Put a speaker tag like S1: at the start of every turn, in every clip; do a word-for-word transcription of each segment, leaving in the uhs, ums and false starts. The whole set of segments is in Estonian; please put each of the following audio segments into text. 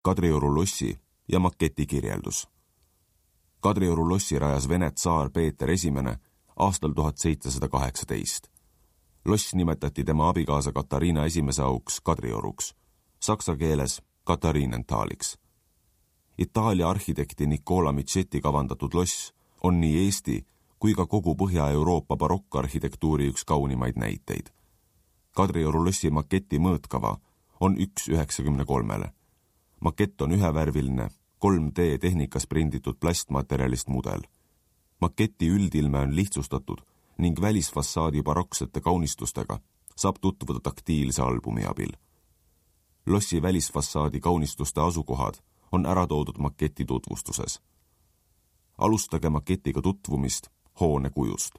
S1: Kadrioru lossi ja maketi kirjeldus. Kadrioru lossi rajas Vene tsaar Peeter Esimene aastal tuhat seitsesada kaheksateist. Loss nimetati tema abikaasa Katariina esimese auks Kadrioruks, saksa keeles Katariinentaaliks. Itaalia arhitekti Nicola Michetti kavandatud loss on nii Eesti kui ka kogu Põhja-Euroopa barokkarhitektuuri üks kaunimaid näiteid. Kadrioru lossi maketi mõõtkava on üks üheksakümne kolmele. Makett on ühevärviline, kolm D tehnikas prinditud plastmaterjalist mudel. Maketi üldilme on lihtsustatud ning välisfassaadi baroksete kaunistustega saab tutvuda taktiilse albumi abil. Lossi välisfassaadi kaunistuste asukohad on ära toodud maketi tutvustuses. Alustage maketiga tutvumist hoone kujust.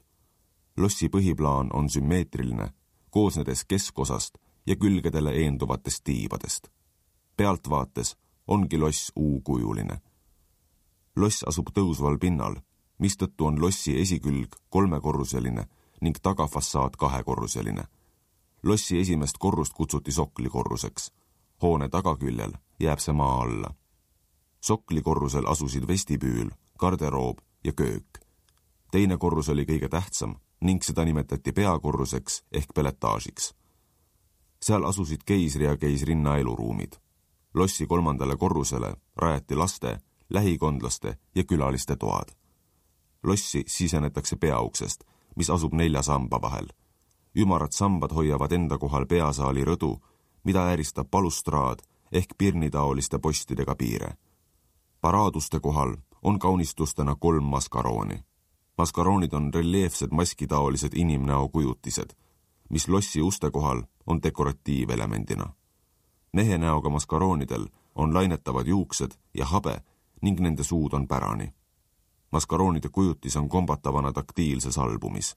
S1: Lossi põhiplaan on sümmeetriline, koosnedes keskosast ja külgedele eenduvatest tiibadest. Pealtvaates ongi loss U-kujuline. Loss asub tõusval pinnal, mistõttu on lossi esikülg kolmekorruseline ning tagafassaad kahekorruseline. Lossi esimest korrust kutsuti soklikorruseks. Hoone tagaküljel jääb see maa alla. Soklikorrusel asusid vestibüül, garderoob ja köök. Teine korrus oli kõige tähtsam ning seda nimetati peakorruseks ehk peletaažiks. Seal asusid keisri ja keisrinna eluruumid. Lossi kolmandale korrusele rajati laste, lähikondlaste ja külaliste toad. Lossi sisenetakse peauksest, mis asub nelja samba vahel. Ümarad sambad hoiavad enda kohal peasaali rõdu, mida ääristab balustraad ehk pirnitaoliste postidega piire. Paraaduste kohal on kaunistustena kolm maskarooni. Maskaroonid on reljeefsed maskitaolised inimnäo kujutised, mis lossi uste kohal on dekoratiivelemendina. Mehe näoga maskaroonidel on lainetavad juuksed ja habe ning nende suud on pärani. Maskaroonide kujutis on kombatavana taktiilses albumis.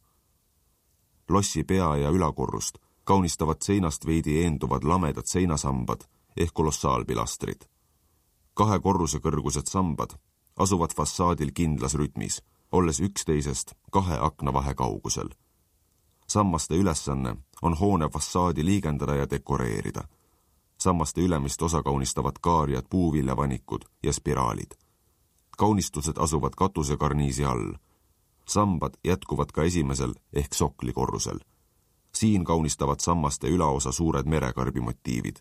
S1: Lossi pea- ja ülakorrust kaunistavad seinast veidi eenduvad lamedad seinasambad ehk kolossaalpilastrid. Kahe korruse kõrgused sambad asuvad fassaadil kindlas rütmis, olles üksteisest kahe akna vahe kaugusel. Sammaste ülesanne on hoone fassaadi liigendada ja dekoreerida. Sammaste ülemist osa kaunistavad kaarjad, puuviljavanikud ja spiraalid. Kaunistused asuvad katusekarniisi all. Sambad jätkuvad ka esimesel ehk soklikorrusel. Siin kaunistavad sammaste ülaosa suured merekarbi motiivid.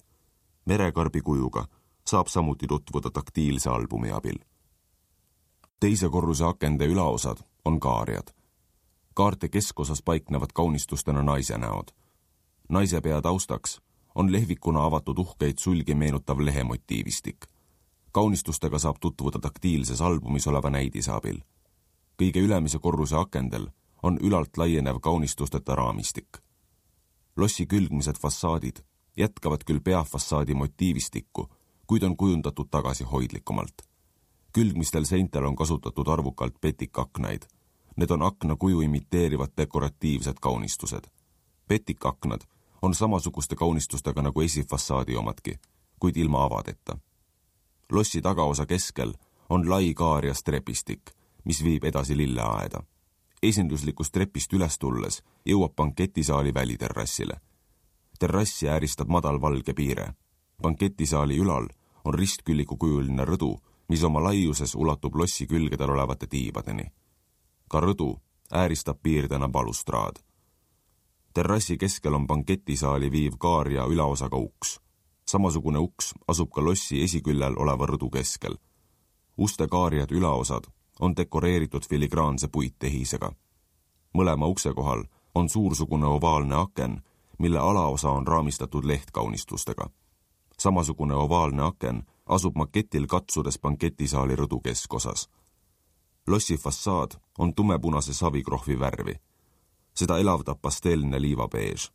S1: Merekarbi kujuga saab samuti tutvuda taktiilse albumi abil. Teise korruse akende ülaosad on kaarjad. Kaarte keskosas paiknevad kaunistustena naise näod. Naise pea taustaks on lehvikuna avatud uhkeid sulgi meenutav lehemotiivistik. Kaunistustega saab tutvuda taktiilses albumis oleva näidise abil. Kõige ülemise korruse akendel on ülalt laienev kaunistusteta raamistik. Lossi külgmised fassaadid jätkavad küll peafassaadi motiivistikku, kuid on kujundatud tagasi hoidlikumalt. Külgmistel seintel on kasutatud arvukalt petikaknaid. Need on akna kuju imiteerivad dekoratiivsed kaunistused. Petikaknad on samasuguste kaunistustega nagu esifassaadi omadki, kuid ilma avadeta. Lossi tagaosa keskel on lai kaarjas trepistik, mis viib edasi lilleaeda. Esinduslikust trepist üles tulles jõuab banketisaali väliterrassile. Terrassi ääristab madal valge piire. Banketisaali ülal on ristkülliku kujuline rõdu, mis oma laiuses ulatub lossi külgedel olevate tiibadeni. Ka rõdu ääristab piirdena balustraad. Terrassi keskel on banketisaali viiv kaar ja ülaosaga uks. Samasugune uks asub ka lossi esiküljel oleva rõdu keskel. Uste kaarjad ülaosad on dekoreeritud filigraanse puittehisega. Mõlema ukse kohal on suursugune ovaalne aken, mille alaosa on raamistatud lehtkaunistustega. Samasugune ovaalne aken asub maketil katsudes banketisaali rõdu keskosas. Lossi fassaad on tumepunase savikrohvi värvi. Seda elavdab pasteelne liivabeež.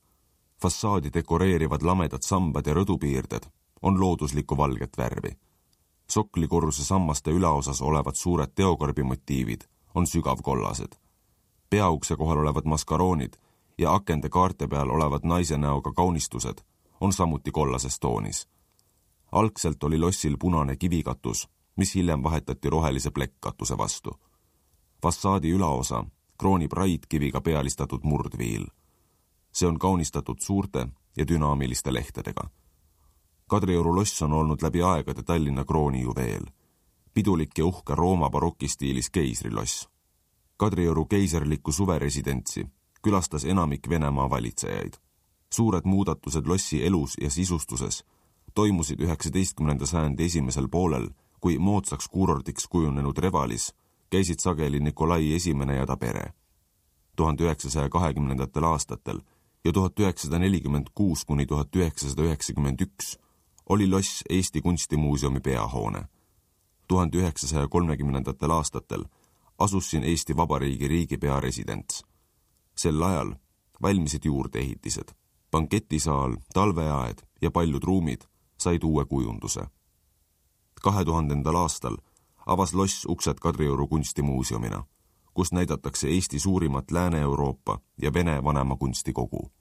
S1: Fassaadi dekoreerivad lamedad sambad ja rõdupiirded on looduslikku valget värvi. Soklikorruse sammaste ülaosas olevad suured teokarbimotiivid on sügavkollased. Peaukse kohal olevad maskaroonid ja akende kaarte peal olevad naise näoga kaunistused on samuti kollases toonis. Algselt oli lossil punane kivikatus, mis hiljem vahetati rohelise plekkatuse vastu. Fassaadi ülaosa kroonib raidkiviga pealistatud murdviil. See on kaunistatud suurte ja dünaamiliste lehtedega. Kadrioru loss on olnud läbi aegade Tallinna kroonijuveel. Pidulik ja uhke Rooma barokistiilis keisriloss. Kadrioru keisarlikku suveresidentsi külastas enamik Venemaa valitsejaid. Suured muudatused lossi elus ja sisustuses toimusid üheksateistkümnenda sajandi esimesel poolel, kui moodsaks kuurordiks kujunenud Revalis käisid sageli Nikolai esimene ja ta pere. tuhande üheksasaja kahekümnendatel aastatel ja tuhat üheksasada nelikümmend kuus kuni tuhat üheksasada üheksakümmend üks oli loss Eesti Kunstimuuseumi peahoone. tuhande üheksasaja kolmekümnendatel aastatel asus siin Eesti Vabariigi riigipea residents. Sel ajal valmisid juurdeehitised. Banketisaal, talveaed ja paljud ruumid said uue kujunduse. kahe tuhandendal aastal avas loss uksed Kadrioru kunstimuuseumina, kus näidatakse Eesti suurimat Lääne-Euroopa ja Vene vanema kunstikogu.